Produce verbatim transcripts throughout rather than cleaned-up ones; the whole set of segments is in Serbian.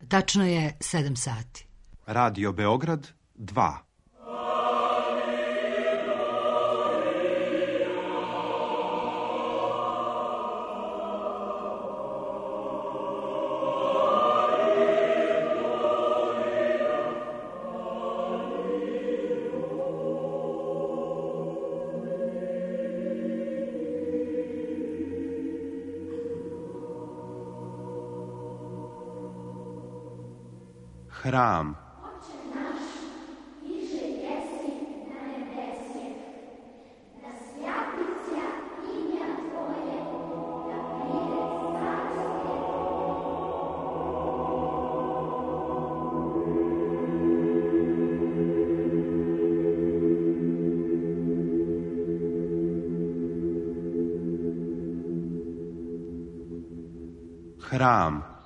Tačno je sedam sati. Radio Beograd dva. Hram. Hram.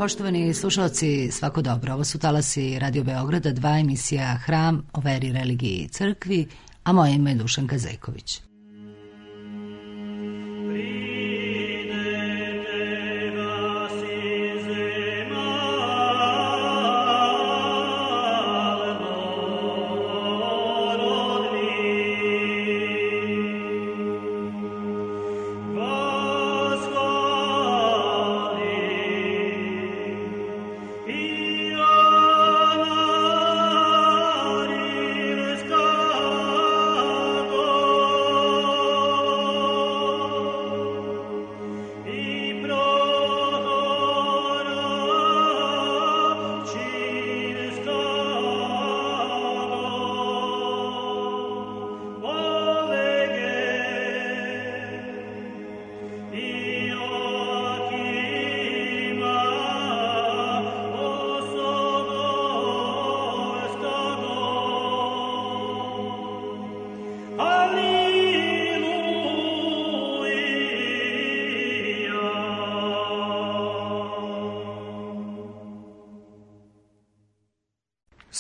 Poštovani slušalci, svako dobro. Ovo su talasi Radio Beograda, dva, emisija Hram o veri, religiji i crkvi, a moje ime je Dušanka Zejković.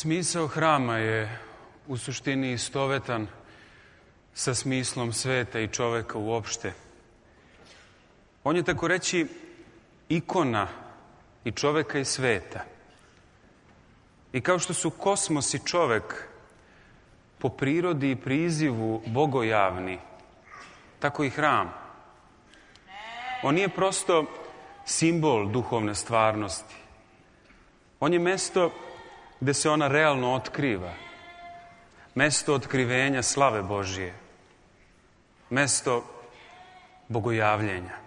Smisao hrama je u suštini istovetan sa smislom sveta i čoveka uopšte. On je, tako reći, ikona i čoveka i sveta. I kao što su kosmos i čovek po prirodi i prizivu bogojavni, tako i hram. On nije prosto simbol duhovne stvarnosti. On je mesto gde se ona realno otkriva. Mesto otkrivenja slave Božije. Mesto bogojavljenja.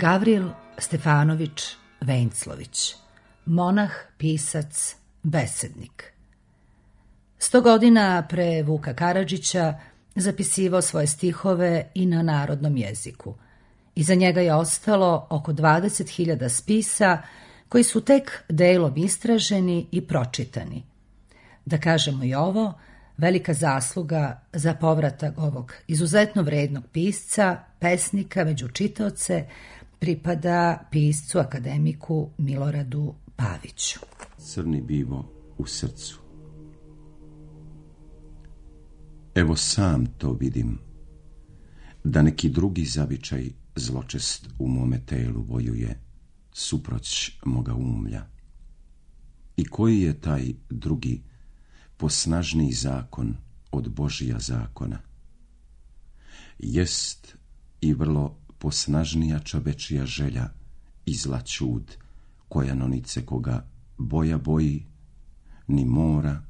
Gavril Stefanović Venclović, monah, pisac, besednik. Sto godina pre Vuka Karadžića zapisivao svoje stihove i na narodnom jeziku. Iza njega je ostalo oko dvadeset hiljada spisa koji su tek delom istraženi i pročitani. Da kažemo i ovo, Velika zasluga za povratak ovog izuzetno vrednog pisca, pesnika među čitaoce, pripada piscu akademiku Miloradu Paviću. Crni bivo u srcu. Evo sam to vidim, da neki drugi zavičaj zločest u mome telu vojuje, suproć moga umlja. I koji je taj drugi, posnažniji zakon od Božija zakona? Jest i vrlo posnažnija čovečija želja i zla ćud, koja nonice koga boja boji, ni mora,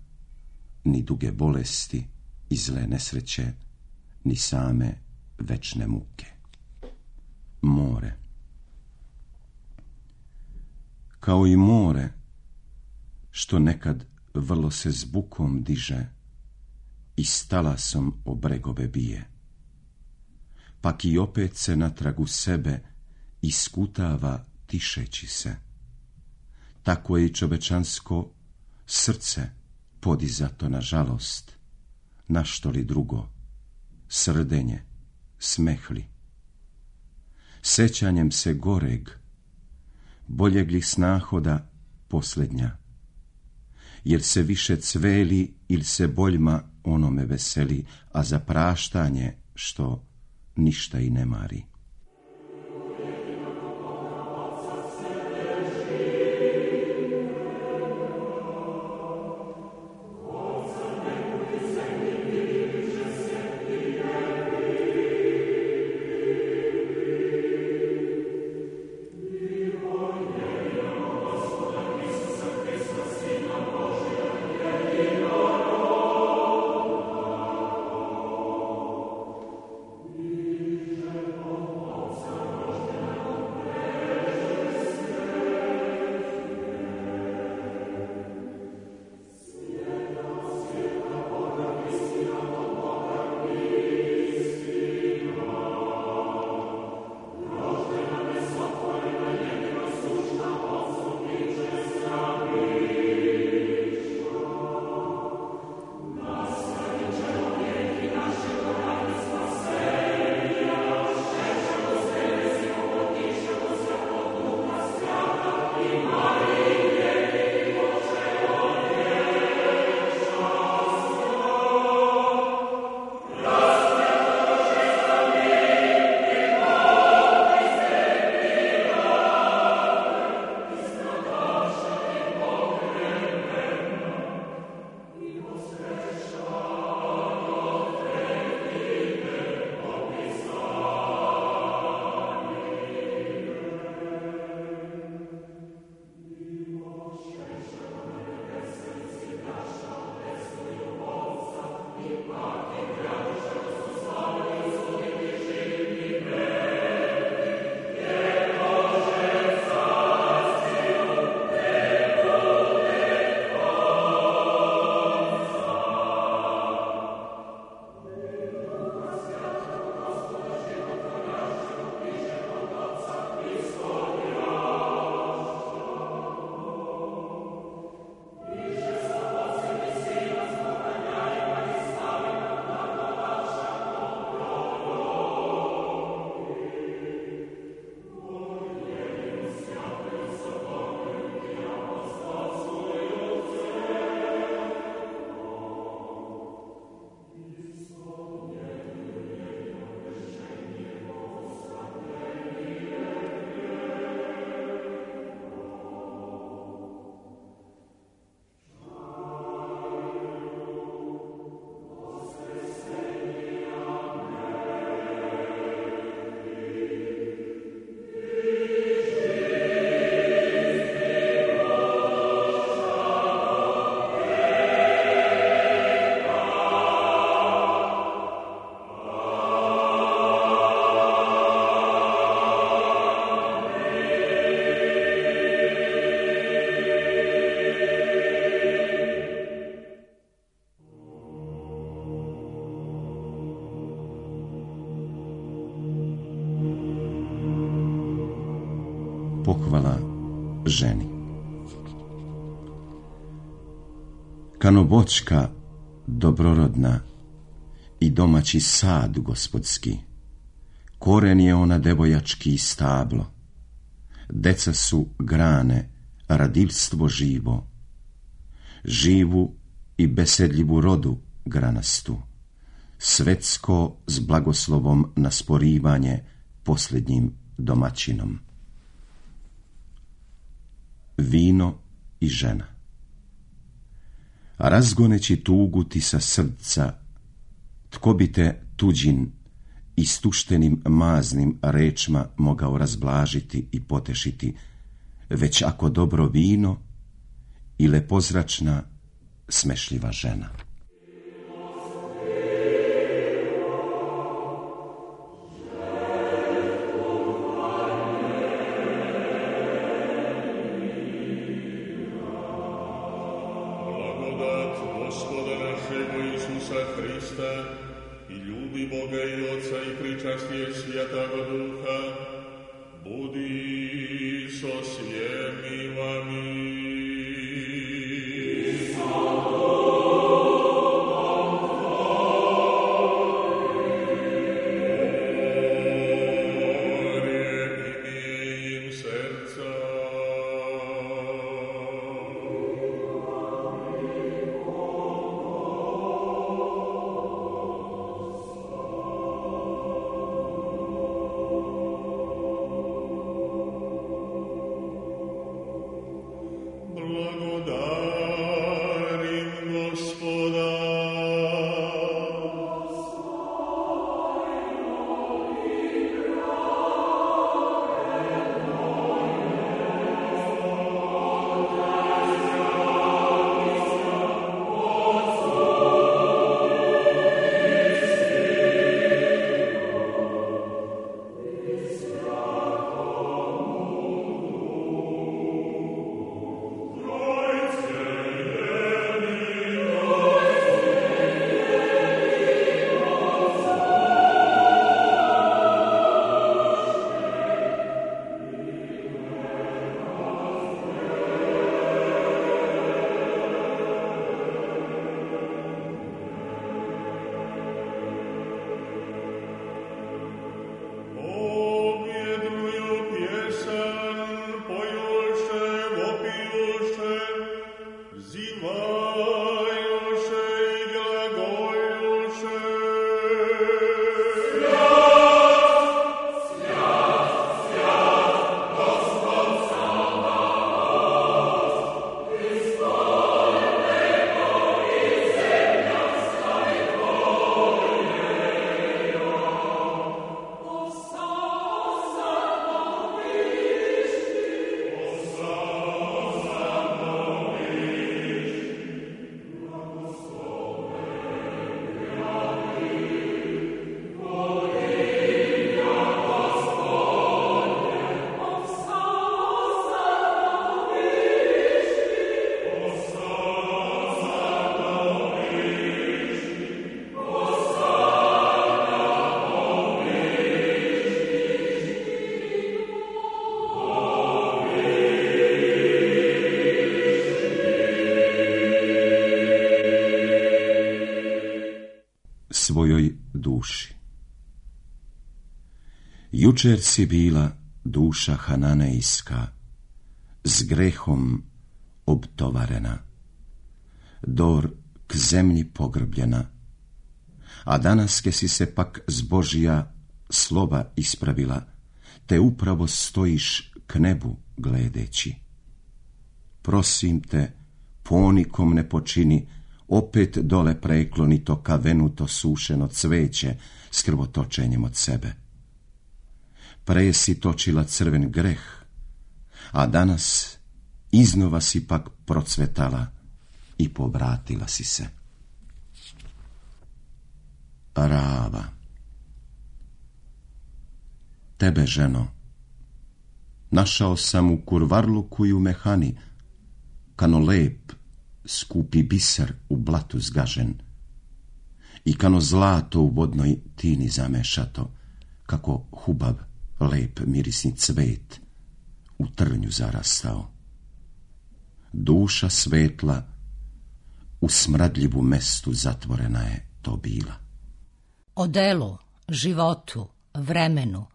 ni duge bolesti i zle nesreće, ni same večne muke. More. Kao i more, što nekad vrlo se s bukom diže i s talasom o bregove bije, pak i opet se natrag u sebe iskutava tišeći se. Tako je i čovečansko srce podizato na žalost, na što li drugo, srdenje, smehli. Sećanjem se goreg, boljeg li snahoda posljednja, jer se više cveli ili se boljma onome veseli, a za praštanje što ništa i ne mari. Pohvala ženi. Kanovoćka dobrorodna i domaći sad gospodski. Koren je ona devojački stablo. Deca su grane, radivstvo živo. Živu i besedljivu rodu granastu. Svetsko s blagoslovom na sporivanje posljednjim domaćinom. Vino i žena. Razgoneći tugu ti sa srca, tko bi te tuđin istuštenim maznim rečma mogao razblažiti i potešiti, već ako dobro vino i lepozračna smešljiva žena. I ljubi Boga i Oca i pričastije Svjatoga Duha, budi so svjemi vami. Svojoj duši. Jučer si bila duša hananejska, s grehom obtovarena, dor k zemlji pogrbljena, a danaske si se pak z Božija slova ispravila, te upravo stojiš k nebu gledeći. Prosim te, ponikom ne počini, opet dole prekloni to kavenuto sušeno cveće s krvotočenjem od sebe. Pre si točila crven greh, a danas iznova si pak procvetala i povratila si se. Rava. Tebe, ženo, našao sam u kurvarluku i u mehani, kano lep, skupi biser u blatu zgažen, i kano zlato u vodnoj tini zamešato, kako hubav, lep mirisni cvet u trnju zarastao. Duša svetla u smradljivu mestu zatvorena je to bila. O delu, životu, vremenu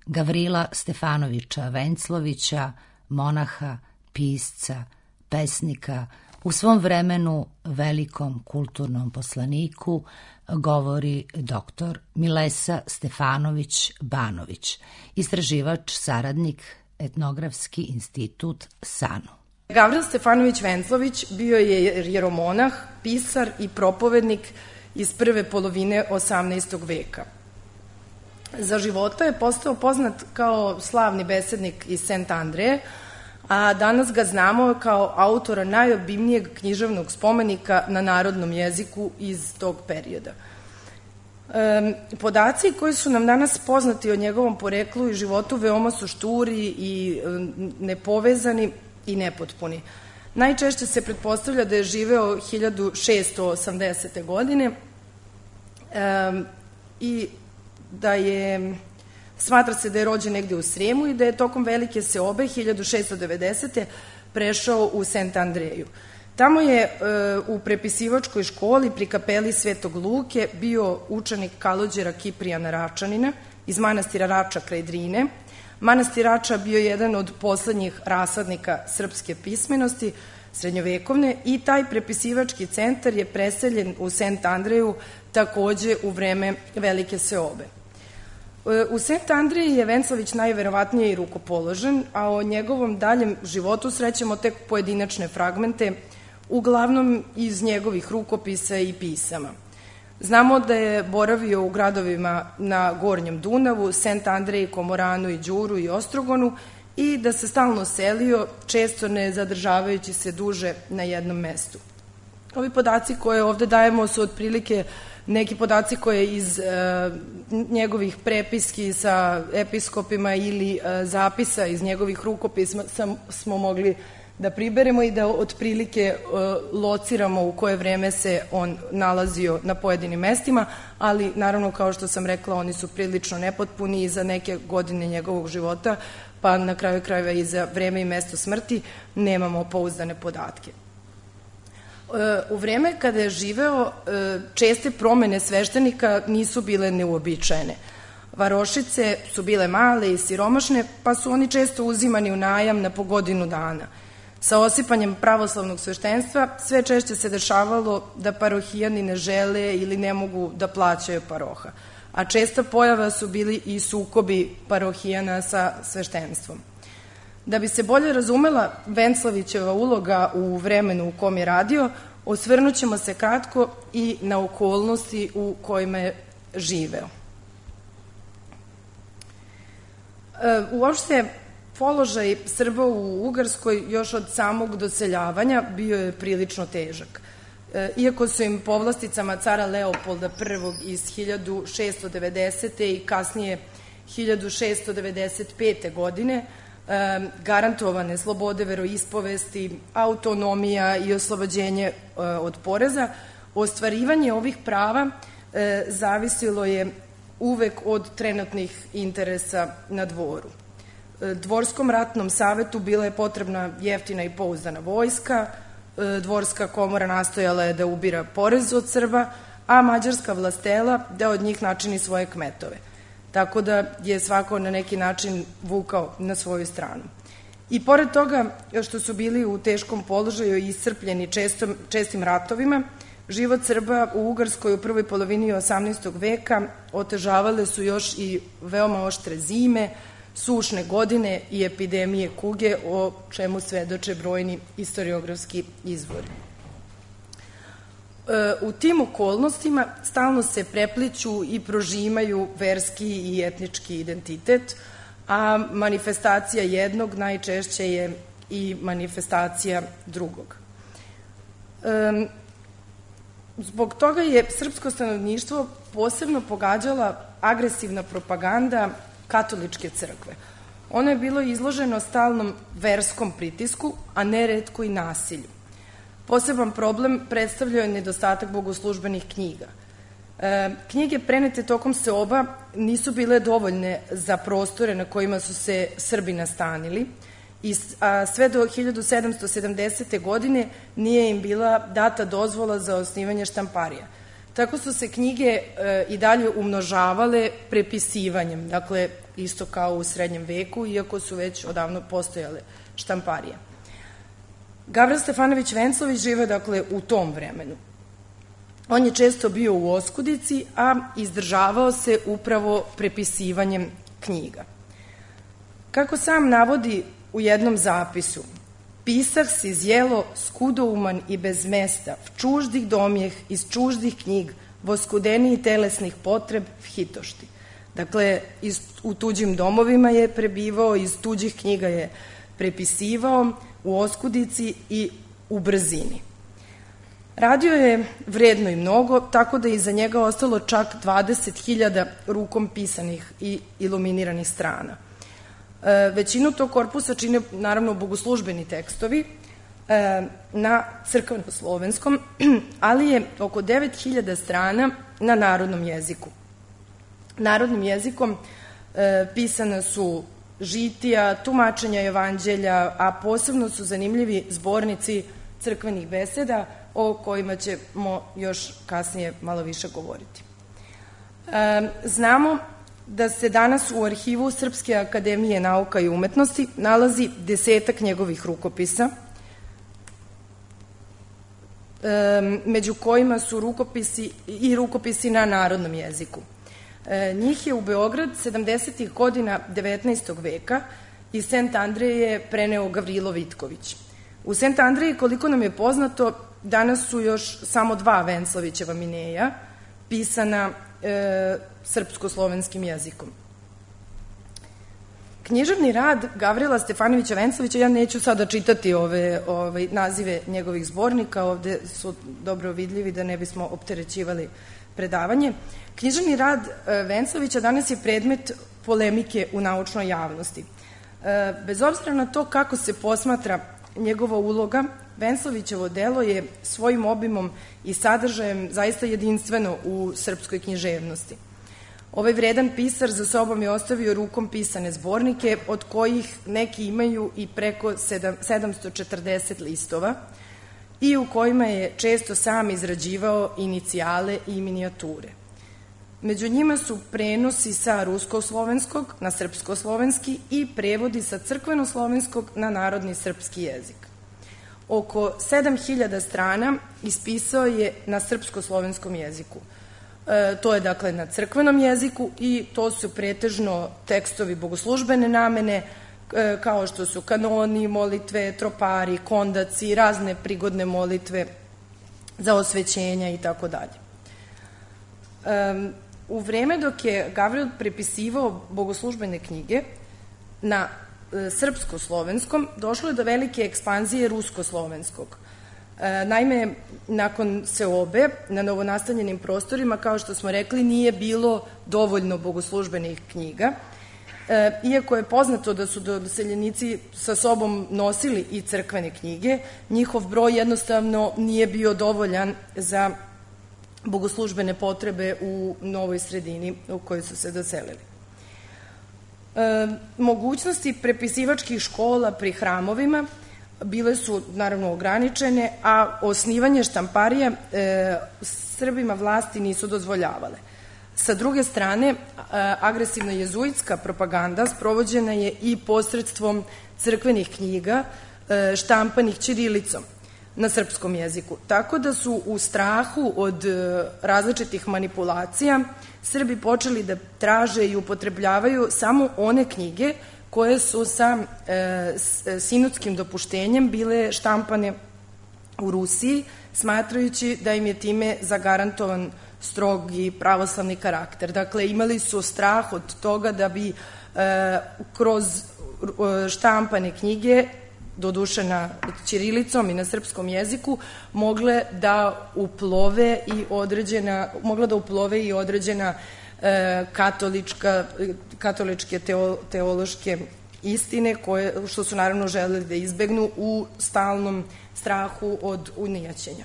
Gavrila Stefanovića Venclovića, monaha, pisca, pesnika, u svom vremenu velikom kulturnom poslaniku, govori doktor Milesa Stefanović Banović, istraživač, saradnik, Etnografski institut SANU. Gavril Stefanović Venclović bio je jeromonah, pisar i propovednik iz prve polovine osamnaestog veka. Za života je postao poznat kao slavni besednik iz Sent Andreje, a danas ga znamo kao autora najobimnijeg književnog spomenika na narodnom jeziku iz tog perioda. E, podaci koji su nam danas poznati o njegovom poreklu i životu veoma su šturi i e, nepovezani i nepotpuni. Najčešće se pretpostavlja da je živeo hiljadu šeststo osamdesete. godine e, i da je, smatra se da je rođen negde u Sremu i da je tokom velike seobe hiljadu šeststo devedesete. prešao u Sent Andreju. Tamo je e, u prepisivačkoj školi pri kapeli Svetog Luke bio učenik Kalođera Kiprijana Račanina iz manastira Rača kraj Drine. Manastir Rača bio jedan od poslednjih rasadnika srpske pismenosti, srednjovekovne, i taj prepisivački centar je preseljen u Sent Andreju takođe u vreme velike seobe. U Sent Andreji je Venclović najverovatnije i rukopoložen, a o njegovom daljem životu srećemo tek pojedinačne fragmente, uglavnom iz njegovih rukopisa i pisama. Znamo da je boravio u gradovima na Gornjem Dunavu, Sent Andreji, Komoranu i Đuru i Ostrogonu i da se stalno selio, često ne zadržavajući se duže na jednom mestu. Ovi podaci koje ovde dajemo su otprilike neki podaci koje iz e, njegovih prepiski sa episkopima ili e, zapisa iz njegovih rukopisa sam, smo mogli da priberemo i da otprilike e, lociramo u koje vreme se on nalazio na pojedinim mestima, ali naravno, kao što sam rekla, oni su prilično nepotpuni i za neke godine njegovog života, pa na kraju krajeva i za vreme i mesto smrti nemamo pouzdane podatke. U vreme kada je živeo, česte promene sveštenika nisu bile neuobičajene. Varošice su bile male i siromašne, pa su oni često uzimani u najam na po godinu dana. Sa osipanjem pravoslavnog sveštenstva sve češće se dešavalo da parohijani ne žele ili ne mogu da plaćaju paroha, a česta pojava su bili i sukobi parohijana sa sveštenstvom. Da bi se bolje razumela Venclovićeva uloga u vremenu u kom je radio, osvrnut ćemo se kratko i na okolnosti u kojima je živeo. Uopšte, položaj Srba u Ugarskoj još od samog doseljavanja bio je prilično težak. Iako su im povlasticama cara Leopolda prvog iz hiljadu šeststo devedesete. i kasnije hiljadu šeststo devedeset pete. godine garantovane slobode veroispovesti, autonomija i oslobođenje od poreza, ostvarivanje ovih prava zavisilo je uvek od trenutnih interesa na dvoru. Dvorskom ratnom savetu bila je potrebna jeftina i pouzdana vojska, dvorska komora nastojala je da ubira porez od Srba, a mađarska vlastela da od njih načini svoje kmetove. Tako da je svako na neki način vukao na svoju stranu. I pored toga što su bili u teškom položaju i iscrpljeni čestom, čestim ratovima, život Srba u Ugarskoj u prvoj polovini osamnaestog. veka otežavale su još i veoma oštre zime, sušne godine i epidemije kuge, o čemu svedoče brojni historiografski izvori. U tim okolnostima stalno se prepliću i prožimaju verski i etnički identitet, a manifestacija jednog najčešće je i manifestacija drugog. Zbog toga je srpsko stanovništvo posebno pogađala agresivna propaganda katoličke crkve. Ono je bilo izloženo stalnom verskom pritisku, a neretko i nasilju. Poseban problem predstavljao je nedostatak bogoslužbenih knjiga. E, knjige prenete tokom seoba nisu bile dovoljne za prostore na kojima su se Srbi nastanili a sve do hiljadu sedamsto sedamdesete. godine nije im bila data dozvola za osnivanje štamparija. Tako su se knjige e, i dalje umnožavale prepisivanjem, dakle isto kao u srednjem veku, iako su već odavno postojale štamparije. Gavran Stefanović Venclović žive dakle u tom vremenu. On je često bio u oskudici, a izdržavao se upravo prepisivanjem knjiga. Kako sam navodi u jednom zapisu, pisar si zjelo skudouman i bez mesta, v čuždih domjeh, iz čuždih knjig, voskudeniji telesnih potreb, v hitošti. Dakle, iz, u tuđim domovima je prebivao, iz tuđih knjiga je prepisivao, u oskudici i u brzini. Radio je vredno i mnogo, tako da je iza njega ostalo čak dvadeset hiljada rukom pisanih i iluminiranih strana. E, većinu tog korpusa čine, naravno, bogoslužbeni tekstovi e, na crkveno-slovenskom, ali je oko devet hiljada strana na narodnom jeziku. Narodnim jezikom e, pisana su žitija, tumačenja evanđelja, a posebno su zanimljivi zbornici crkvenih beseda, o kojima ćemo još kasnije malo više govoriti. E, znamo da se danas u arhivu Srpske akademije nauka i umetnosti nalazi desetak njegovih rukopisa, e, među kojima su rukopisi i rukopisi na narodnom jeziku. E, njih je u Beograd sedamdesetih godina devetnaestog veka iz Sent Andreje preneo Gavrilo Vitković. U Sent Andreji, koliko nam je poznato, danas su još samo dva Venclovićeva mineja, pisana e, srpsko-slovenskim jezikom. Književni rad Gavrila Stefanovića Venclovića, ja neću sada čitati ove, ove nazive njegovih zbornika, ovde su dobro vidljivi da ne bismo opterećivali predavanje. Književni rad e, Venclovića danas je predmet polemike u naučnoj javnosti. E, bez obzira na to kako se posmatra njegova uloga, Venclovićevo delo je svojim obimom i sadržajem zaista jedinstveno u srpskoj književnosti. Ovaj vredan pisar za sobom je ostavio rukom pisane zbornike, od kojih neki imaju i preko sedamsto četrdeset listova i u kojima je često sam izrađivao inicijale i minijature. Među njima su prenosi sa rusko-slovenskog na srpsko-slovenski i prevodi sa crkveno-slovenskog na narodni srpski jezik. Oko sedam hiljada strana ispisao je na srpsko-slovenskom jeziku. E, to je dakle na crkvenom jeziku i to su pretežno tekstovi bogoslužbene namene, e, kao što su kanoni, molitve, tropari, kondaci, razne prigodne molitve za osvećenja i tako dalje. U vreme dok je Gavril prepisivao bogoslužbene knjige na srpsko-slovenskom, došlo je do velike ekspanzije rusko-slovenskog. E, naime, nakon seobe, na novonastanjenim prostorima, kao što smo rekli, nije bilo dovoljno bogoslužbenih knjiga. E, iako je poznato da su doseljenici sa sobom nosili i crkvene knjige, njihov broj jednostavno nije bio dovoljan za bogoslužbene potrebe u novoj sredini u kojoj su se doselili. E, mogućnosti prepisivačkih škola pri hramovima bile su naravno ograničene, a osnivanje štamparija e, Srbima vlasti nisu dozvoljavale. Sa druge strane, e, agresivna jezuitska propaganda sprovođena je i posredstvom crkvenih knjiga e, štampanih ćirilicom na srpskom jeziku. Tako da su u strahu od e, različitih manipulacija Srbi počeli da traže i upotrebljavaju samo one knjige koje su sa e, sinodskim dopuštenjem bile štampane u Rusiji, smatrajući da im je time zagarantovan strog i pravoslavni karakter. Dakle, imali su strah od toga da bi e, kroz štampane knjige, doduše na ćirilicom i na srpskom jeziku, mogle da uplove i određena, mogla da uplove i određena e, katolička, katoličke teo, teološke istine, koje, što su naravno želeli da izbegnu u stalnom strahu od unijaćenja.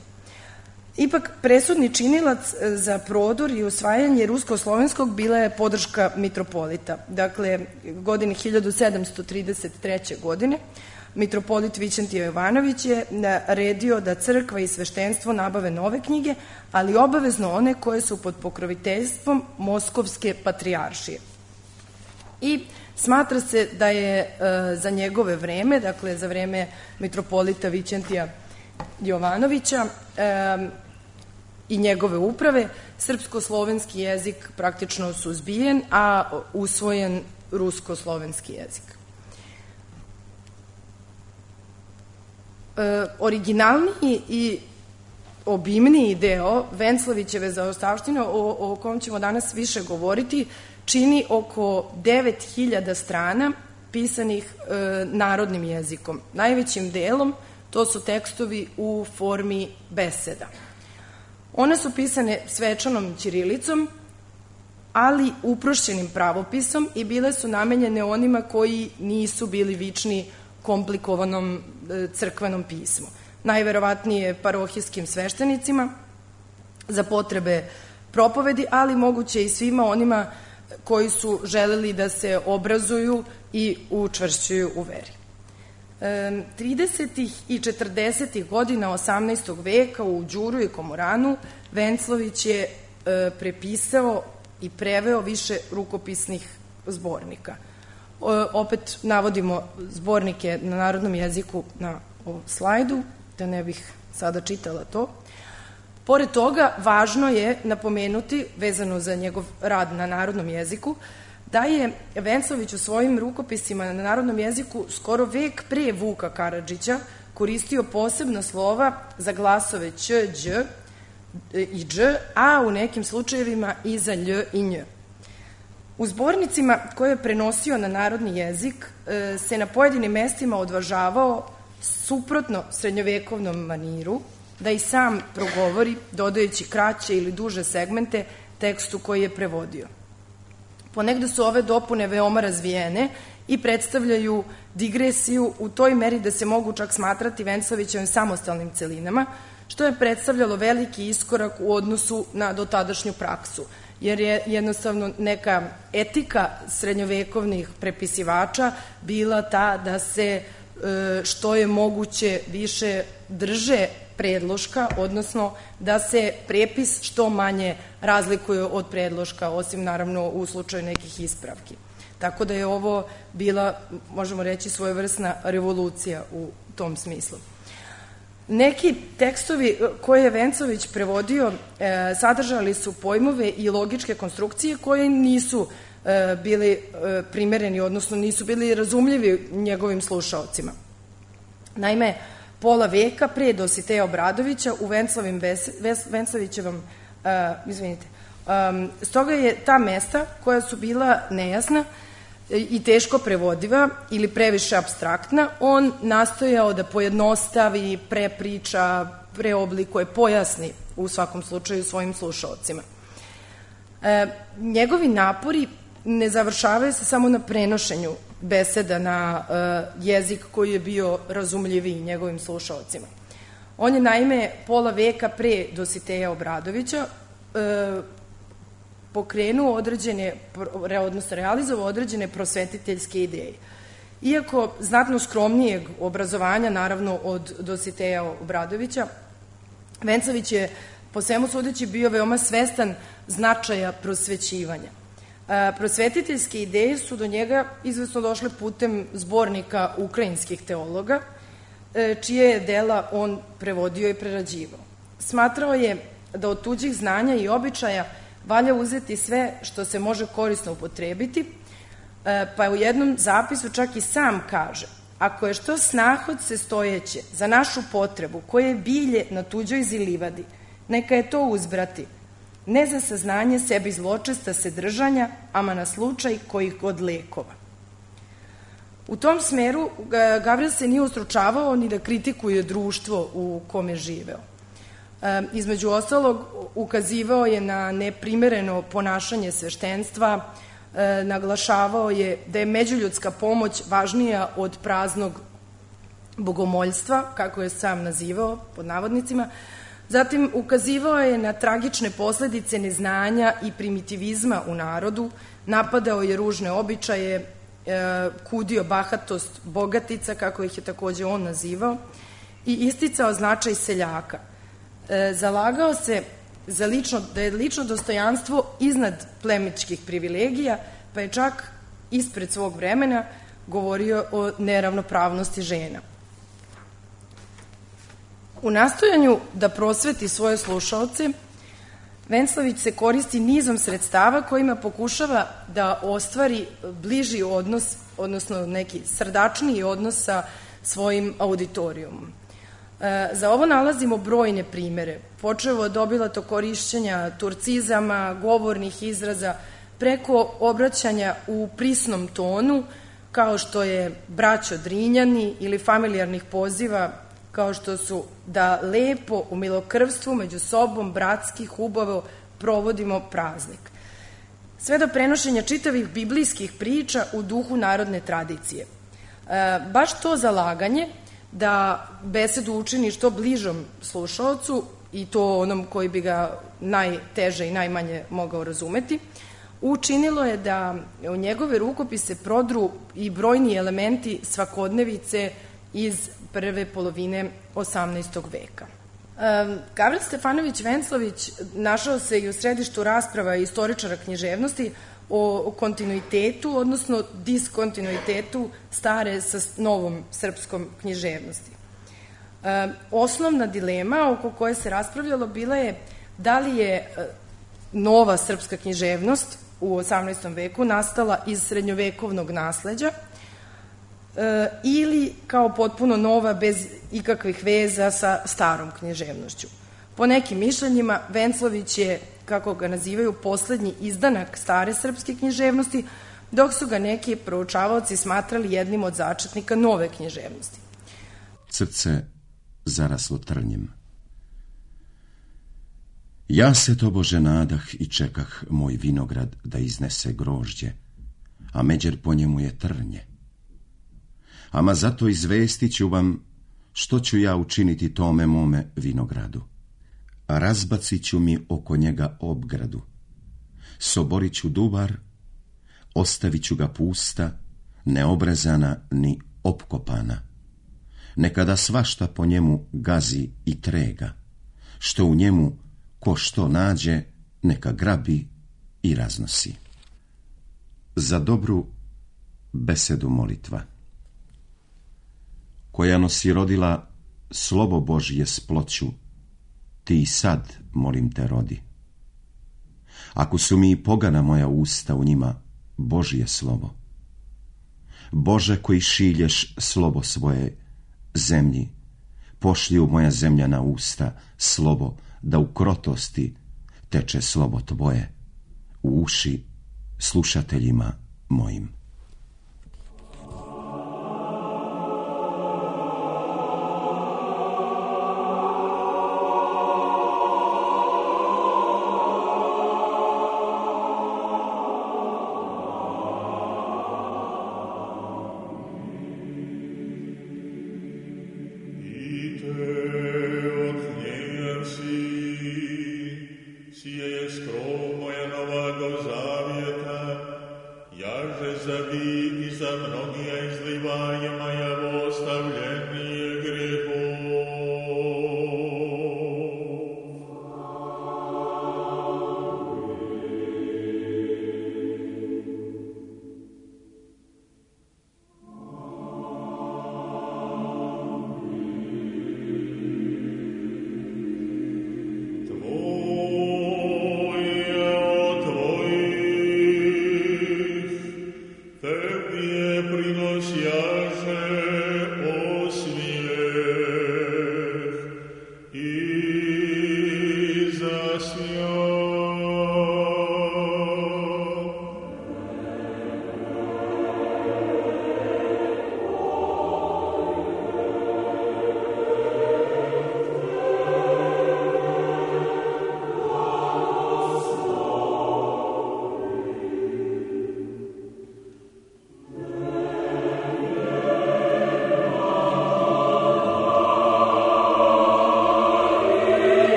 Ipak, presudni činilac za prodor i usvajanje rusko-slovenskog bila je podrška mitropolita. Dakle, godine hiljadu sedamsto trideset treće. godine mitropolit Vićentije Jovanović je naredio da crkva i sveštenstvo nabave nove knjige, ali obavezno one koje su pod pokroviteljstvom Moskovske patrijaršije. I smatra se da je e, za njegove vreme, dakle za vreme mitropolita Vićentija Jovanovića e, i njegove uprave, srpsko-slovenski jezik praktično suzbijen, a usvojen rusko-slovenski jezik. E, originalniji i obimniji deo Venclavićeve zaostavštine, o, o kom ćemo danas više govoriti, čini oko devet hiljada strana pisanih e, narodnim jezikom. Najvećim delom to su tekstovi u formi beseda. One su pisane svečanom ćirilicom, ali uprošćenim pravopisom i bile su namenjene onima koji nisu bili vični komplikovanom e, crkvenom pismu. Najverovatnije parohijskim sveštenicima za potrebe propovedi, ali moguće i svima onima koji su želeli da se obrazuju i učvršćuju u veri. tridesetih i četrdesetih godina osamnaestog veka u Đuru i Komoranu Venclović je e, prepisao i preveo više rukopisnih zbornika. O, opet navodimo zbornike na narodnom jeziku na ovom slajdu, da ne bih sada čitala to. Pored toga, važno je napomenuti, vezano za njegov rad na narodnom jeziku, da je Venclović u svojim rukopisima na narodnom jeziku skoro vek pre Vuka Karadžića koristio posebna slova za glasove ć, đ i dž, a u nekim slučajevima i za lj i nj. U zbornicima koje je prenosio na narodni jezik se na pojedinim mestima odvažavao suprotno srednjovekovnom maniru, da i sam progovori, dodajući kraće ili duže segmente tekstu koji je prevodio. Ponegde su ove dopune veoma razvijene i predstavljaju digresiju u toj meri da se mogu čak smatrati Venclavićevim samostalnim celinama, što je predstavljalo veliki iskorak u odnosu na dotadašnju praksu, jer je jednostavno neka etika srednjovekovnih prepisivača bila ta da se što je moguće više drže predloška, odnosno da se prepis što manje razlikuje od predloška, osim naravno u slučaju nekih ispravki. Tako da je ovo bila, možemo reći, svojevrsna revolucija u tom smislu. Neki tekstovi koje je Venclović prevodio e, sadržali su pojmove i logičke konstrukcije koje nisu e, bili e, primereni, odnosno nisu bili razumljivi njegovim slušaocima. Naime, pola veka pre Dositeja Obradovića u Venclavićevom, uh, izvinite, um, stoga je ta mesta koja su bila nejasna i teško prevodiva ili previše apstraktna, on nastojao da pojednostavi, prepriča, preoblikuje, pojasni u svakom slučaju svojim slušaocima. E, njegovi napori ne završavaju se samo na prenošenju beseda na uh, jezik koji je bio razumljiviji njegovim slušaocima. On je naime pola veka pre Dositeja Obradovića uh, pokrenuo određene, odnosno realizovao određene prosvetiteljske ideje. Iako znatno skromnijeg obrazovanja, naravno, od Dositeja Obradovića, Venclavić je po svemu sudeći bio veoma svestan značaja prosvećivanja. Prosvetiteljske ideje su do njega izvesno došle putem zbornika ukrajinskih teologa, čije je dela on prevodio i prerađivao. Smatrao je da od tuđih znanja i običaja valja uzeti sve što se može korisno upotrebiti, pa u jednom zapisu čak i sam kaže: ako je što snahodce stojeće za našu potrebu koje je bilje na tuđoj zilivadi, neka je to uzbrati, ne za saznanje sebi zločesta se držanja, ama na slučaj kojih god lekova. U tom smeru Gavril se nije ustručavao ni da kritikuje društvo u kome živeo. E, između ostalog, ukazivao je na neprimereno ponašanje sveštenstva, e, naglašavao je da je međuljudska pomoć važnija od praznog bogomoljstva, kako je sam nazivao, pod navodnicima, Zatim, ukazivao je na tragične posledice neznanja i primitivizma u narodu, napadao je ružne običaje, kudio bahatost bogatica, kako ih je takođe on nazivao, i isticao značaj seljaka. Zalagao se za lično, da je lično dostojanstvo iznad plemičkih privilegija, pa je čak ispred svog vremena govorio o neravnopravnosti žena. U nastojanju da prosveti svoje slušaoce, Venclavić se koristi nizom sredstava kojima pokušava da ostvari bliži odnos, odnosno neki srdačniji odnos sa svojim auditorijumom. Za ovo nalazimo brojne primere, počevo od obilato korišćenja turcizama, govornih izraza, preko obraćanja u prisnom tonu, kao što je braćo Drinjani, ili familijarnih poziva, kao što su da lepo u milokrvstvu među sobom bratski hubavo provodimo praznik. Sve do prenošenja čitavih biblijskih priča u duhu narodne tradicije. Baš to zalaganje da besedu učini što bližom slušaocu, i to onom koji bi ga najteže i najmanje mogao razumeti, učinilo je da u njegove rukopise prodru i brojni elementi svakodnevice iz prve polovine osamnaestog veka. Gavril Stefanović Venclavić našao se i u središtu rasprava istoričara književnosti o kontinuitetu, odnosno diskontinuitetu stare sa novom srpskom književnosti. Osnovna dilema oko koje se raspravljalo bila je da li je nova srpska književnost u osamnaestom veku nastala iz srednjovekovnog nasleđa ili kao potpuno nova bez ikakvih veza sa starom književnošću. Po nekim mišljenjima, Venclavić je, kako ga nazivaju, poslednji izdanak stare srpske književnosti, dok su ga neki proučavaoci smatrali jednim od začetnika nove književnosti. Srce zaraslo trnjem. Ja se tobože nadah i čekah moj vinograd da iznese grožđe, a međer po njemu je trnje. Ama zato izvestit ću vam što ću ja učiniti tome mome vinogradu. A razbacit ću mi oko njega obgradu. Soborit ću duvar, ostavit ću ga pusta, neobrezana ni opkopana. Nekada svašta po njemu gazi i trega, što u njemu ko što nađe, neka grabi i raznosi. Za dobru besedu molitva, koja nosi rodila slovo Božje s ploću, ti i sad, molim te, rodi. Ako su mi i pogana moja usta u njima Božje slovo, Bože koji šilješ slovo svoje zemlji, pošli u moja zemljana usta slovo, da u krotosti teče slovo tvoje, u uši slušateljima mojim.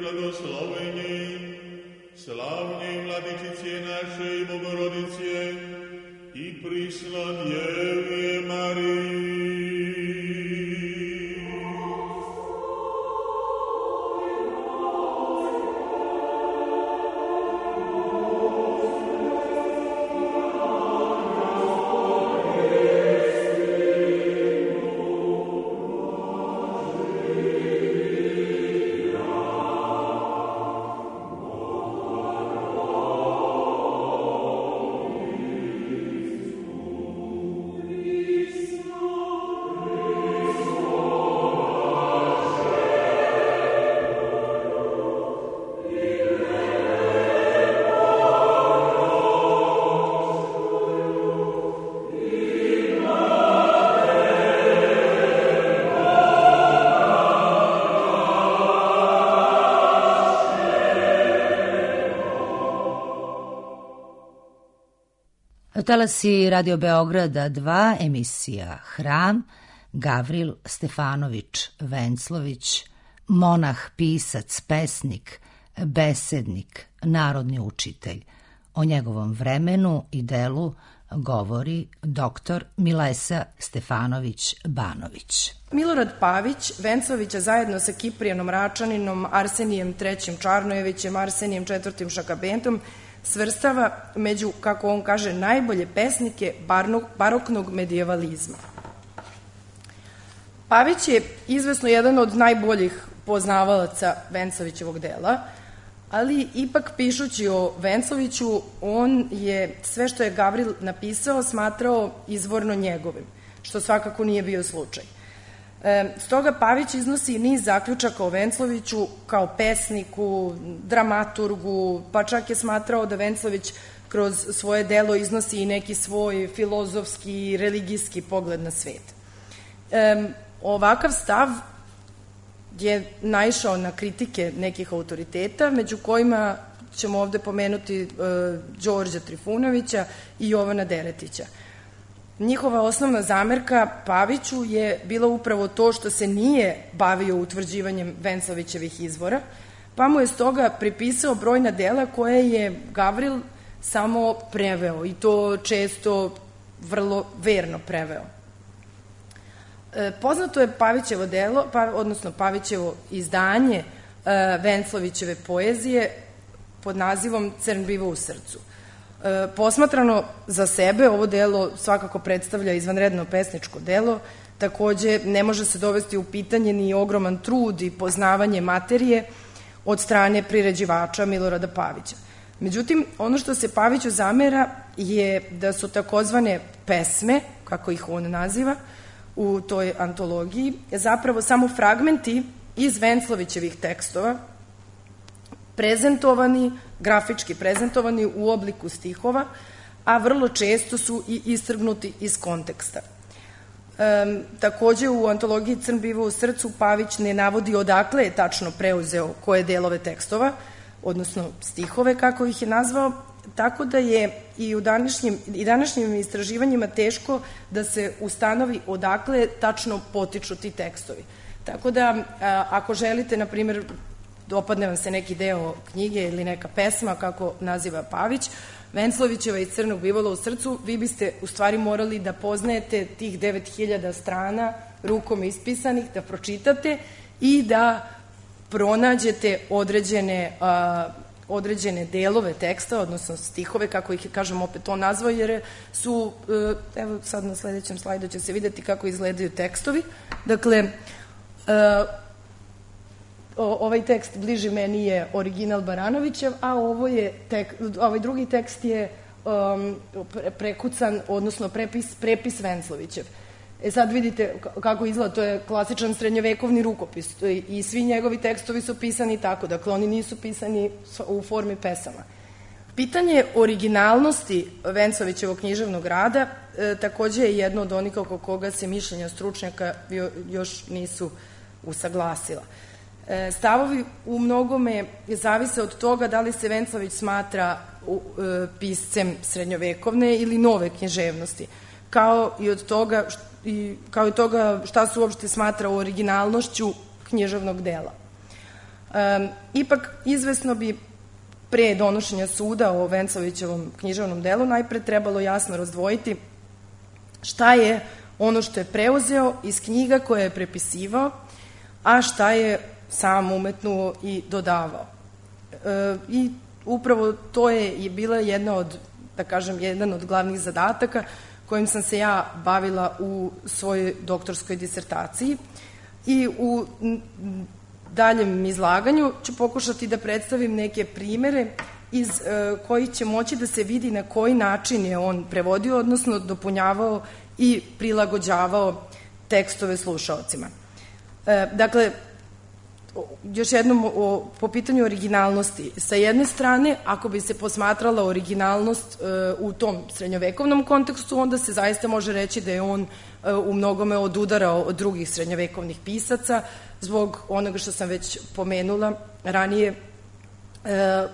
preblagosloveni, slavnje Vladičice naše Bogorodice i prisna Djevije Mariji. Talasi Radio Beograda dva, emisija Hram, Gavril Stefanović Venclović, monah, pisac, pesnik, besednik, narodni učitelj. O njegovom vremenu i delu govori doktor Milesa Stefanović Banović. Milorad Pavić Venclovića zajedno sa Kiprijanom Račaninom, Arsenijem trećim Čarnojevićem, Arsenijem četvrtim Šakabentom svrstava među, kako on kaže, najbolje pesnike baroknog medijevalizma. Pavić je izvesno jedan od najboljih poznavalaca Venclovićevog dela, ali ipak pišući o Vencloviću, on je sve što je Gavril napisao smatrao izvorno njegovim, što svakako nije bio slučaj. E, stoga Pavić iznosi niz zaključaka o Vencloviću kao pesniku, dramaturgu, pa čak je smatrao da Venclović kroz svoje delo iznosi i neki svoj filozofski i religijski pogled na svet. E, ovakav stav je naišao na kritike nekih autoriteta, među kojima ćemo ovde pomenuti e, Đorđa Trifunovića i Jovana Deretića. Njihova osnovna zamerka Paviću je bila upravo to što se nije bavio utvrđivanjem Venclovićevih izvora, pa mu je stoga pripisao brojna dela koje je Gavril samo preveo i to često vrlo verno preveo. E, poznato je Pavićevo delo, pa, odnosno Pavićevo izdanje e, Venclovićeve poezije pod nazivom Crn biva u srcu. E, posmatrano za sebe, ovo delo svakako predstavlja izvanredno pesničko delo, takođe ne može se dovesti u pitanje ni ogroman trud i poznavanje materije od strane priređivača Milorada Pavića. Međutim, ono što se Paviću zamera je da su takozvane pesme, kako ih on naziva, u toj antologiji, zapravo samo fragmenti iz Venclovićevih tekstova, prezentovani, grafički prezentovani u obliku stihova, a vrlo često su i istrgnuti iz konteksta. E, takođe, u antologiji Crn biva u srcu Pavić ne navodi odakle je tačno preuzeo koje delove tekstova, odnosno stihove, kako ih je nazvao, tako da je i u današnjim, i današnjim istraživanjima teško da se ustanovi odakle tačno potiču ti tekstovi. Tako da, a, ako želite, na primjer, dopadne vam se neki deo knjige ili neka pesma, kako naziva Pavić, Venclovićeva iz Crnog bivala u srcu, vi biste u stvari morali da poznajete tih devet hiljada strana rukom ispisanih, da pročitate i da pronađete određene, a, određene delove teksta, odnosno stihove, kako ih, kažem, opet on nazvao, jer su, evo sad na sledećem slajdu će se videti kako izgledaju tekstovi. Dakle, a, ovaj tekst bliži meni je original Baranovićev, a ovo je tek, ovaj drugi tekst je um, prekucan, odnosno prepis, prepis Venclovićev. E sad vidite kako izgleda, to je klasičan srednjovekovni rukopis i svi njegovi tekstovi su pisani tako, dakle oni nisu pisani u formi pesama. Pitanje originalnosti Venclovićevog književnog rada e, takođe je jedno od onih oko koga se mišljenja stručnjaka još nisu usaglasila. E, stavovi u mnogome zavise od toga da li se Venclović smatra u, e, piscem srednjovekovne ili nove književnosti, kao i od toga i kao i toga šta se uopšte smatra originalnošću književnog dela. Um, ipak, izvesno bi pre donošenja suda o Vencovićevom književnom delu najpre trebalo jasno razdvojiti šta je ono što je preuzeo iz knjiga koje je prepisivao, a šta je sam umetnuo i dodavao. E, I upravo to je bila jedna od, da kažem, jedan od glavnih zadataka kojim sam se ja bavila u svojoj doktorskoj disertaciji. I u daljem izlaganju ću pokušati da predstavim neke primere iz e, koji će moći da se vidi na koji način je on prevodio, odnosno dopunjavao i prilagođavao tekstove slušaocima. E, dakle, još jednom o, po pitanju originalnosti. Sa jedne strane, ako bi se posmatrala originalnost e, u tom srednjovekovnom kontekstu, onda se zaista može reći da je on e, u mnogome odudarao od drugih srednjovekovnih pisaca, zbog onoga što sam već pomenula ranije, e,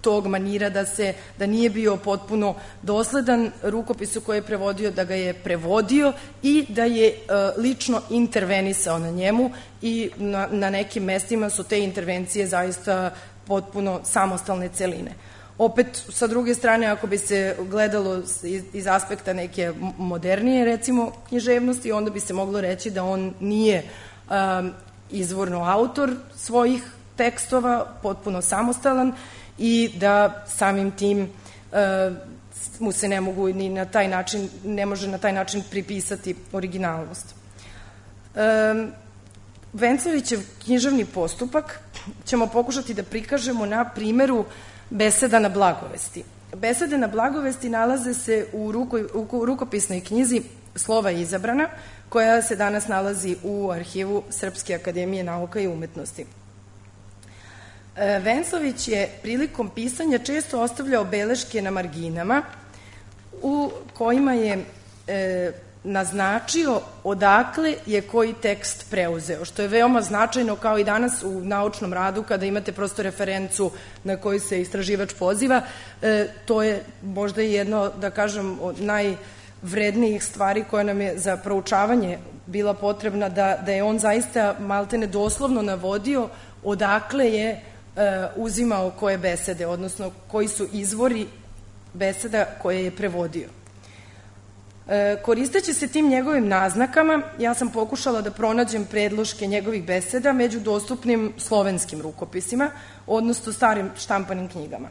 tog manira da se da nije bio potpuno dosledan rukopisu koji je prevodio, da ga je prevodio i da je e, lično intervenisao na njemu i na, na nekim mestima su te intervencije zaista potpuno samostalne celine. Opet, sa druge strane, ako bi se gledalo iz, iz aspekta neke modernije, recimo, književnosti, onda bi se moglo reći da on nije um, izvorno autor svojih tekstova, potpuno samostalan, i da samim tim uh, mu se ne mogu ni na taj način, ne može na taj način pripisati originalnost. Um, Vencovićev književni postupak ćemo pokušati da prikažemo na primeru beseda na blagovesti. Besede na blagovesti nalaze se u, ruko, u rukopisnoj knjizi Slova izabrana, koja se danas nalazi u arhivu Srpske akademije nauka i umetnosti. Vencović je prilikom pisanja često ostavljao beleške na marginama u kojima je e, naznačio odakle je koji tekst preuzeo, što je veoma značajno kao i danas u naučnom radu kada imate prosto referencu na koju se istraživač poziva. E, to je možda jedno, da kažem, od najvrednijih stvari koja nam je za proučavanje bila potrebna, da, da je on zaista maltene doslovno navodio odakle je e, uzimao koje besede, odnosno koji su izvori beseda koje je prevodio. E, koristeći se tim njegovim naznakama, ja sam pokušala da pronađem predloške njegovih beseda među dostupnim slovenskim rukopisima, odnosno starim štampanim knjigama.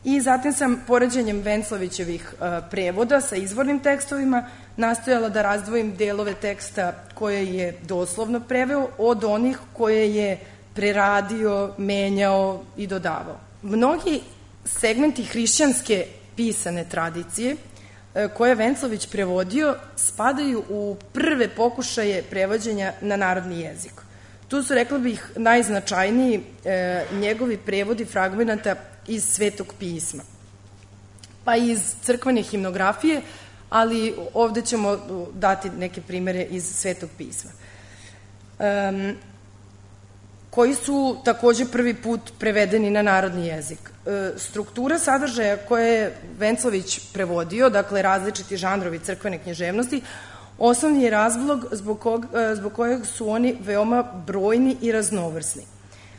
I zatim sam poređenjem Venclovićevih e, prevoda sa izvornim tekstovima nastojala da razdvojim delove teksta koje je doslovno preveo od onih koje je preradio, menjao i dodavao. Mnogi segmenti hrišćanske pisane tradicije koje je Venclović prevodio spadaju u prve pokušaje prevođenja na narodni jezik. Tu su, rekla bih, najznačajniji e, njegovi prevodi fragmenata iz Svetog pisma, pa iz crkvene himnografije, ali ovde ćemo dati neke primere iz Svetog pisma, e, koji su takođe prvi put prevedeni na narodni jezik. E, struktura sadržaja koje je Venclović prevodio, dakle različiti žanrovi crkvene književnosti, osnovni je razlog zbog, kog, zbog kojeg su oni veoma brojni i raznovrsni.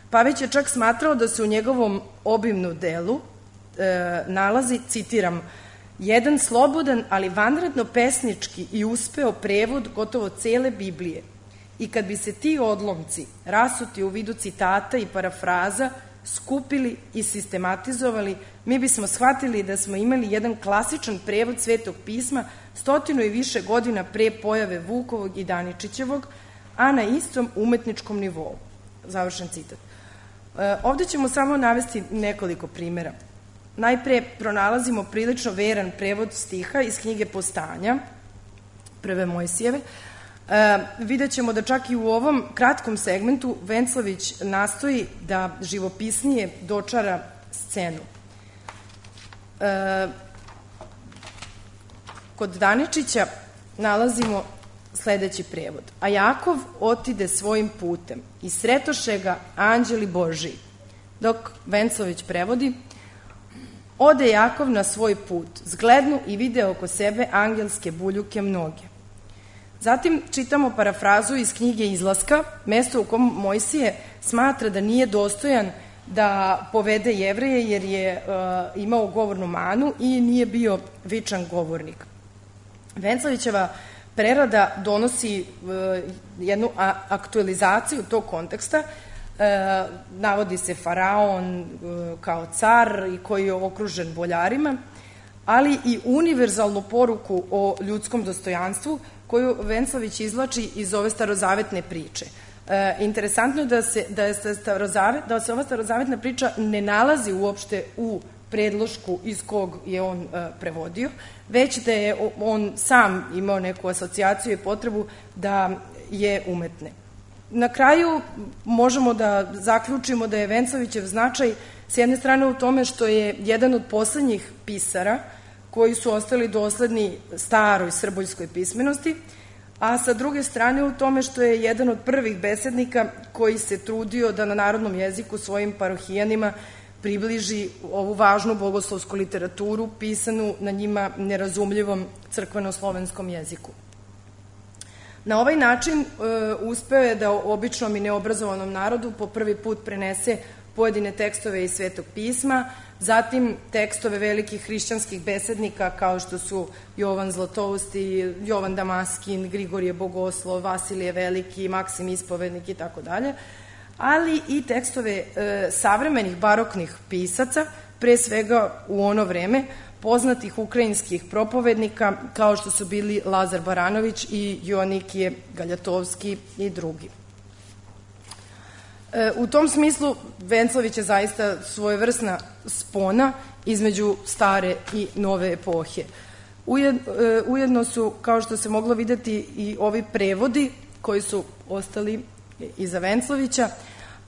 Pavić je čak smatrao da se u njegovom obimnom delu e, nalazi, citiram, jedan slobodan, ali vanredno pesnički i uspeo prevod gotovo cele Biblije. I kad bi se ti odlomci, rasuti u vidu citata i parafraza, skupili i sistematizovali, mi bismo shvatili da smo imali jedan klasičan prevod Svetog pisma stotinu i više godina pre pojave Vukovog i Daničićevog, a na istom umetničkom nivou. Završen citat. E, ovde ćemo samo navesti nekoliko primera. Najpre pronalazimo prilično veran prevod stiha iz knjige Postanja, prve Mojsijeve. E, vidjet ćemo da čak i u ovom kratkom segmentu Venclović nastoji da živopisnije dočara scenu. E, kod Daničića nalazimo sledeći prevod. A Jakov otide svojim putem i sretoše ga anđeli Božiji. Dok Venclović prevodi: ode Jakov na svoj put, zglednu i vide oko sebe angelske buljuke mnoge. Zatim čitamo parafrazu iz knjige Izlaska, mesto u kom Mojsije smatra da nije dostojan da povede Jevreje jer je uh, imao govornu manu i nije bio vičan govornik. Venclavićeva prerada donosi uh, jednu a, aktualizaciju tog konteksta. Uh, navodi se faraon uh, kao car i koji je okružen boljarima, ali i univerzalnu poruku o ljudskom dostojanstvu koju Venclavić izvlači iz ove starozavetne priče. E, interesantno je da se, da, je starozavet, da se ova starozavetna priča ne nalazi uopšte u predlošku iz kog je on e, prevodio, već da je on sam imao neku asocijaciju i potrebu da je umetne. Na kraju možemo da zaključimo da je Venclavićev značaj s jedne strane u tome što je jedan od poslednjih pisara koji su ostali dosledni staroj srboljskoj pismenosti, a sa druge strane u tome što je jedan od prvih besednika koji se trudio da na narodnom jeziku svojim parohijanima približi ovu važnu bogoslovsku literaturu pisanu na njima nerazumljivom crkveno-slovenskom jeziku. Na ovaj način e, uspeo je da običnom i neobrazovanom narodu po prvi put prenese pojedine tekstove iz Svetog pisma, zatim tekstove velikih hrišćanskih besednika kao što su Jovan Zlatousti, Jovan Damaskin, Grigorije Bogoslov, Vasilije Veliki, Maksim Ispovednik i tako dalje, ali i tekstove e, savremenih baroknih pisaca, pre svega u ono vreme, poznatih ukrajinskih propovednika kao što su bili Lazar Baranović i Joanikije Galjatovski i drugi. E, u tom smislu Venclavić je zaista svojevrsna spona između stare i nove epohe. Ujed, e, ujedno su, kao što se moglo videti, i ovi prevodi koji su ostali iza Venclavića,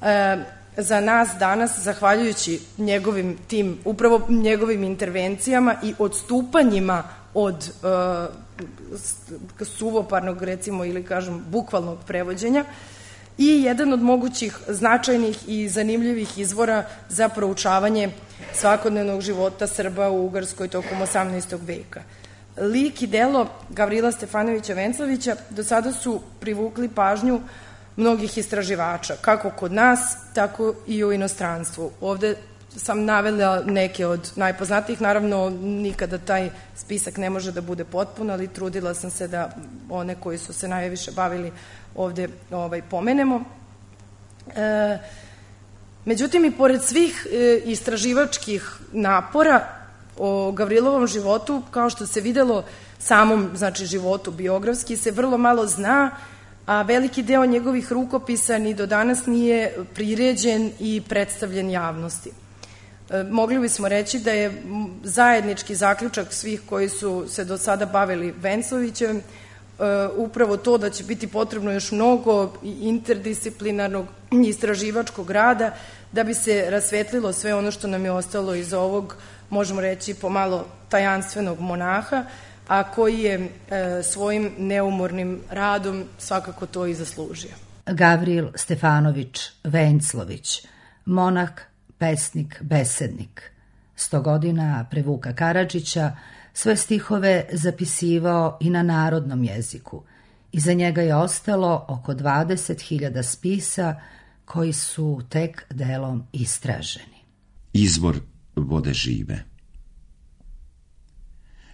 e, za nas danas, zahvaljujući njegovim tim, upravo njegovim intervencijama i odstupanjima od uh, suvoparnog, recimo, ili kažem, bukvalnog prevođenja, i jedan od mogućih značajnih i zanimljivih izvora za proučavanje svakodnevnog života Srba u Ugarskoj tokom osamnaestog veka. Lik i delo Gavrila Stefanovića Venclavića do sada su privukli pažnju mnogih istraživača, kako kod nas, tako i u inostranstvu. Ovde sam navela neke od najpoznatijih, naravno nikada taj spisak ne može da bude potpun, ali trudila sam se da one koji su se najviše bavili ovde ovaj, pomenemo. E, međutim, i pored svih e, istraživačkih napora o Gavrilovom životu, kao što se videlo samom, znači, životu biografski, se vrlo malo zna, a veliki deo njegovih rukopisa ni do danas nije priređen i predstavljen javnosti. E, mogli bismo reći da je zajednički zaključak svih koji su se do sada bavili Venclavićem e, upravo to da će biti potrebno još mnogo interdisciplinarnog istraživačkog rada da bi se rasvetlilo sve ono što nam je ostalo iz ovog, možemo reći, pomalo tajanstvenog monaha, a koji je e, svojim neumornim radom svakako to i zaslužio. Gavril Stefanović Venclović, monah, pesnik, besednik. Sto godina pre Vuka Karadžića sve stihove zapisivao i na narodnom jeziku. Iza njega je ostalo oko dvadeset hiljada spisa koji su tek delom istraženi. Izvor vode žive.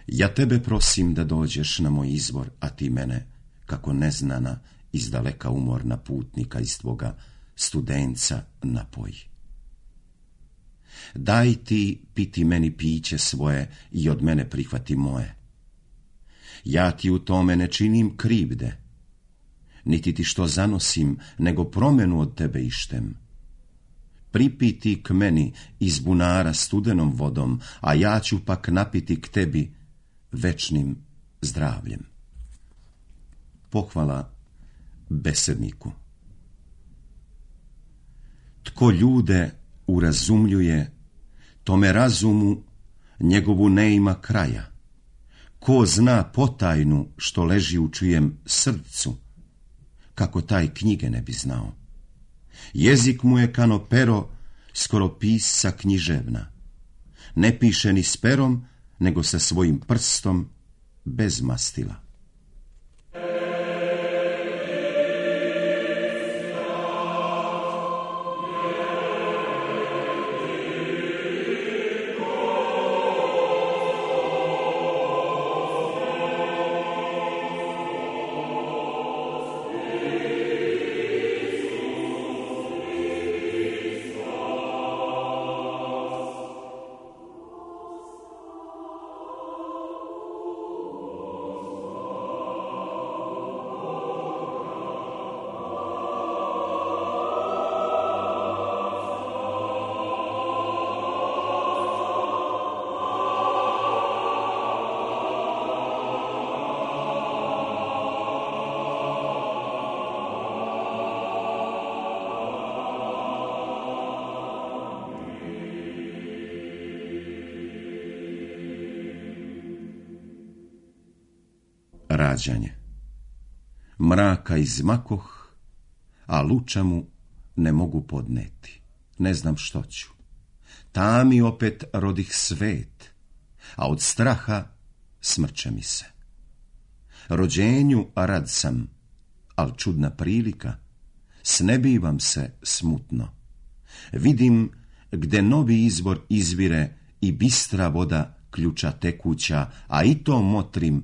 Ja tebe prosim da dođeš na moj izvor, a ti mene, kako neznana, izdaleka umorna putnika iz tvoga studenca napoj. Daj ti piti meni piće svoje i od mene prihvati moje. Ja ti u tome ne činim krivde, niti ti što zanosim, nego promenu od tebe ištem. Pripiti k meni iz bunara studenom vodom, a ja ću pak napiti k tebi večnim zdravljem. Pohvala besedniku. Tko ljude urazumljuje, tome razumu njegovu ne ima kraja. Ko zna potajnu što leži u čijem srcu, kako taj knjige ne bi znao. Jezik mu je kano pero, skoro pisca književna. Ne piše ni s perom, nego sa svojim prstom bez mastila. rađanje. Mraka izmakoh, a luča mu ne mogu podneti. Ne znam što ću. Tami opet rodih svet, a od straha smrče mi se. Rođenju rad sam, al čudna prilika, snebivam se smutno. Vidim gde novi izvor izvire i bistra voda ključa tekuća, a i to motrim,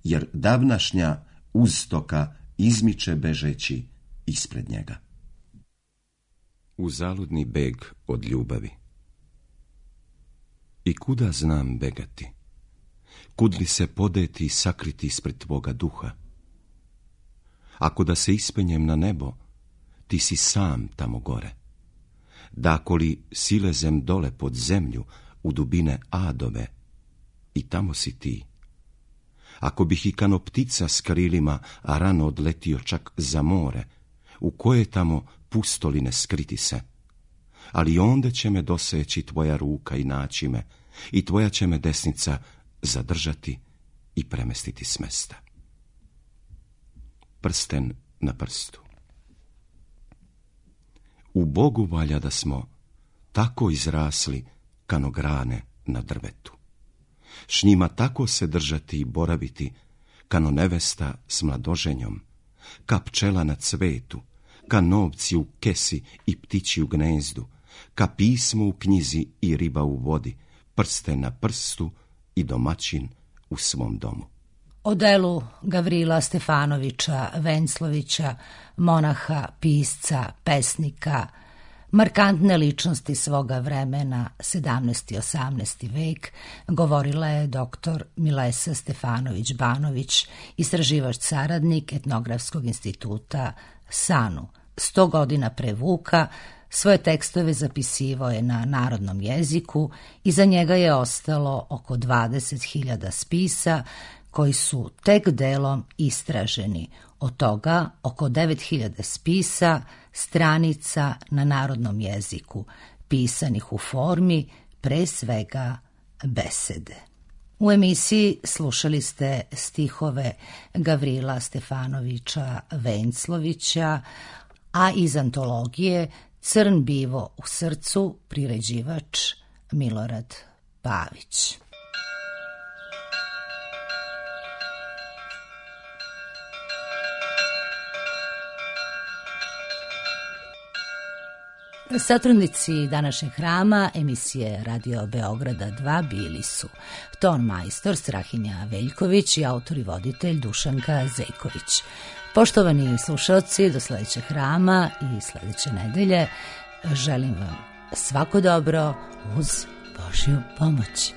jer davnašnja uztoka izmiče bežeći ispred njega. Uzaludni beg od ljubavi. I kuda znam begati? Kud li se podeti i sakriti ispred tvoga duha? Ako da se ispenjem na nebo, ti si sam tamo gore. Dako li silezem dole pod zemlju u dubine adove, i tamo si ti. Ako bih i kano ptica s krilima, a rano odletio čak za more, u koje tamo pustoline skriti se, ali onda će me doseći tvoja ruka i naći me, i tvoja će me desnica zadržati i premestiti s mesta. Prsten na prstu. U Bogu valja da smo tako izrasli kano grane na drvetu. S njima tako se držati i boraviti kano nevesta s mladoženjom, ka pčela na cvetu, ka novci u kesi i ptići u gnezdu, ka pismo u knjizi i riba u vodi, prsten na prstu i domaćin u svom domu. O delu Gavrila Stefanovića Venclovića, monaha, pisca, pesnika, markantne ličnosti svoga vremena, sedamnaesti i osamnaesti vek, govorila je doktor Milesa Stefanović-Banović, istraživač saradnik Etnografskog instituta SANU. Sto godina pre Vuka svoje tekstove zapisivao je na narodnom jeziku i za njega je ostalo oko dvadeset hiljada spisa koji su tek delom istraženi, od toga oko devet hiljada spisa, stranica na narodnom jeziku, pisanih u formi pre svega besede. U emisiji slušali ste stihove Gavrila Stefanovića Venclovića, a iz antologije Crn bivo u srcu, priređivač Milorad Pavić. Satrudnici današnjeg hrama emisije Radio Beograda dva bili su ton majstor Strahinja Veljković i autor i voditelj Dušanka Zejković. Poštovani slušalci, do sledećeg hrama i sledeće nedelje želim vam svako dobro uz Božju pomoć.